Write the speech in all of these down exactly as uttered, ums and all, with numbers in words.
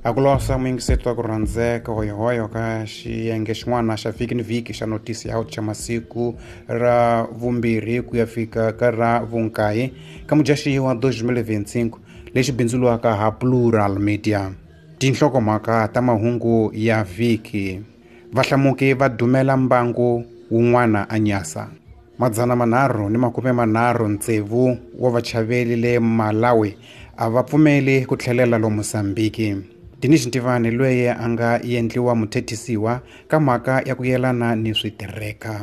A ku losa muyingiseti wa ku rhandzeka hoyohoyo ka xiyenge xin'wana xa vhiki ni vhiki xa notisi ya xa masiku ra vumbirhi ku ya fika ka ra vunkaye ka mudyaxihi wa twenty twenty-five lexi bindzuriwaka ha Plural Media. Tinhlokomhaka ta mahungu ya vhiki. Vahlamuki va dumela mbangu wun'wana a Nyasa. Madzana manharhu ni makume manharhu ntsevu wa vachaveli le Malawi a va pfumeli ku tlhelela lo Mozambiki. Dinis Ntivani loyi a nga endliwa muthethisiwa ka mhaka ya ku yelana ni switereka.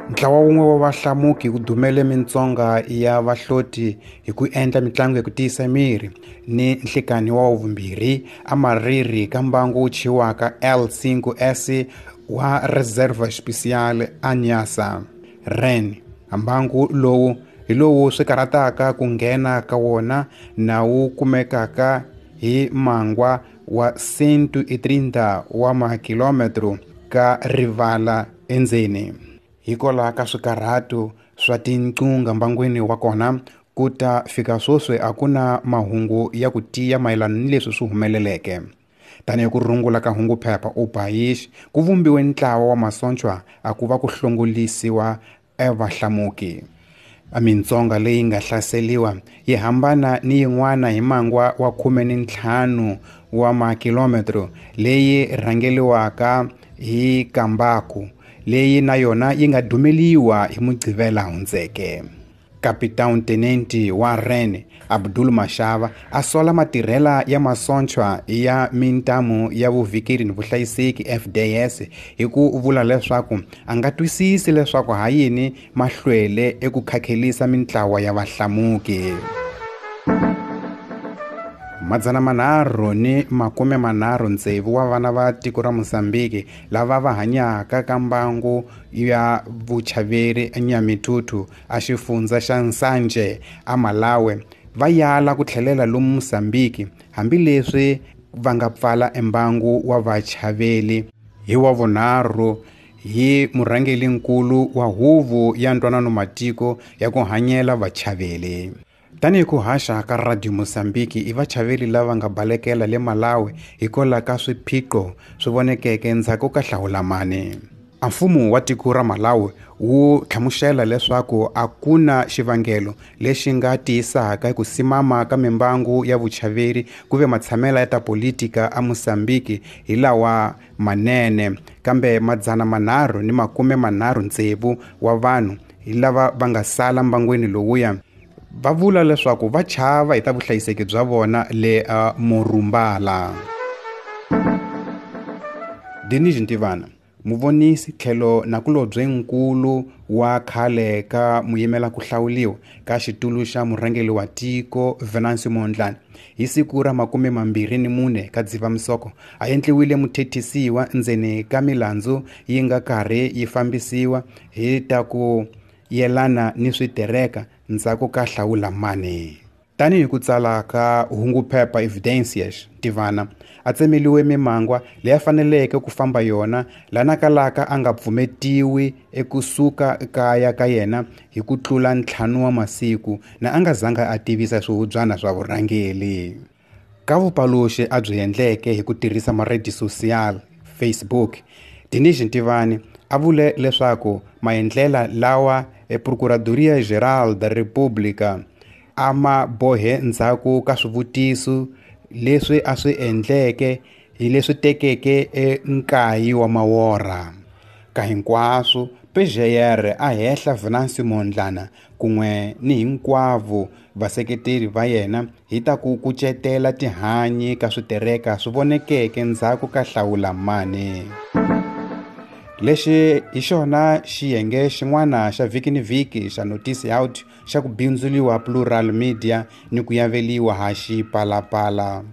Ntlawa wun'we wa vahlamuki wu dumele mintsonga ya vahloti hi ku endla mitlangu ya ku tiyisa miri ni nhlikani wa vumbirhi a mariri ka mbangu wu chiwaka L five S wa Reserva Especial a Nyasa Ren. Mbangu lowu hi lowu swi karhataka ku nghena ka wona na wu kumekaka hi mangwa wa cento e trinta wa makilometro ka rivala endzeni. Hikwalaho ka swikarhato swa tinqunga mbangwini wa kona ku ta fika sweswi a ku na mahungu ya ku tiya mayelana ni leswi swi humeleleke. Tanihi ku rungula ka hunguphepha u País ku vumbiwe ntlawa wa masocha a ku va ku hlongolisiwa evahlamuki. A mintsonga leyi nga hlaseriwa yi hambana ni yin'wana hi mangwa wa khume ni ntlhanu wa makilometro leyi rhangeliwaka hi Kambaku leyi na yona yi nga dumeliwa hi Mugqivela hundzeke. Capitão Tenente wa Ren Abdul Mashava a sola matirhela ya masocha ya mintamu ya vuvikeri ni vuhlayiseki F D S hi ku vula leswaku a nga twisisi leswaku ha yini ma hlwele eku khakhelisa mintlawa ya vahlamuki. Madzana manharhu ni makume manharhu ntsevu wa vana va tiko ra Mozambiki lava va hanyaka ka mbangu ya vuchaveri eNyamithuthu a xifundza xa Nsanje a Malawi va yala ku tlhelela lomu Mozambiki hambileswi va nga pfala embangu wa vachaveli hi wa vunharhu hi murhangerinkulu wa huvo ya ntwanano matiko ya ku hanyela vachaveli. Tanihi ku haxa ka Radio Mozambiki i vachaveli lava nga balekela le Malawi hikwalaho ka swiphiqo swi vonekeke endzhaku ka hlawulamani. A mfumo wa tiko ra Malawi wu hlamusela leswaku a ku na xivangelo lexi nga tiyisaka ku simama ka mimbangu ya vuchaveri ku ve matshamela ya ta politika a Mozambiki hi lawa manene, kambe madzana manharhu ni makume manharhu ntsevu wa vanhu hi lava va nga sala mbangwini lowuya va vula leswaku va chava hi ta vuhlayiseki bya vona le uh, Morumbala. Dinis Ntivani, muvonisi tlhelo nakulobye nkulu wa khale ka muyimela ku hlawuliwa ka xitulu xa murhangeri wa tiko Venancio Mondlane hi siku ra makume mambirhi ni mune ka Dzivamisoko a endliwile muthethisiwa ndzeni ka milandzu yi nga karhi yi fambisiwa hi ta ku yelana ni switereka ndzhaku ka hlawulamani. Tanihi ku tsala ka hunguphepha Evidencias Ntivana a tsemeliwe mimangwa leyi a faneleke ku famba yona lana kalaka a nga pfumetiwi ekusuka kaya ka yena hi ku tlula ntlhanu wa masiku na a nga zanga a tivisa swihubyana swa vurhangeri. Ka vupaluxi a byi endleke hi ku tirhisa maredi social Facebook, Dinis Ntivani a vule leswaku maendlela lawa e Procuradoria Geral da República a ma bohe ndzhaku ka swivutiso leswi a swi endleke hi leswi tekeke enkayi wa mawora. Ka hinkwaswo P G R a hehla Venancio Mondlane kun'we ni hinkwavo vaseketeri va yena hi ta ku kucetela tihanyi ka switereka swi vonekeke ndzhaku ka hlawulamani. Lexi hi xona xiyenge xin'wana xa vhiki ni vhiki xa Notisi Out xa ku bindzuriwa Plural Media ni ku yaveliwa ha Xipalapala.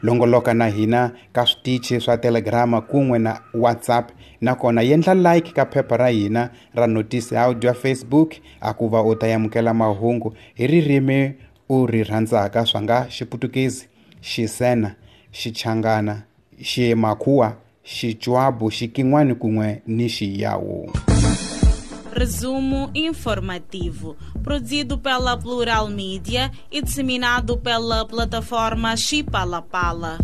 Longoloka na hina ka switichi swa Telegram kun'we na WhatsApp, nakona yendla like ka phepha ra hina ra Notisi Out ya Facebook a ku va u ta amukela mahungu hi ririmi u ri rhandzaka swa nga Xiputukezi, Xisena, Xichangana, Ximakhuwa, Xichwabu, Xikin'wani kun'we ni Xiyawu. Resumo informativo, produzido pela Plural Mídia e disseminado pela plataforma Chipalapala.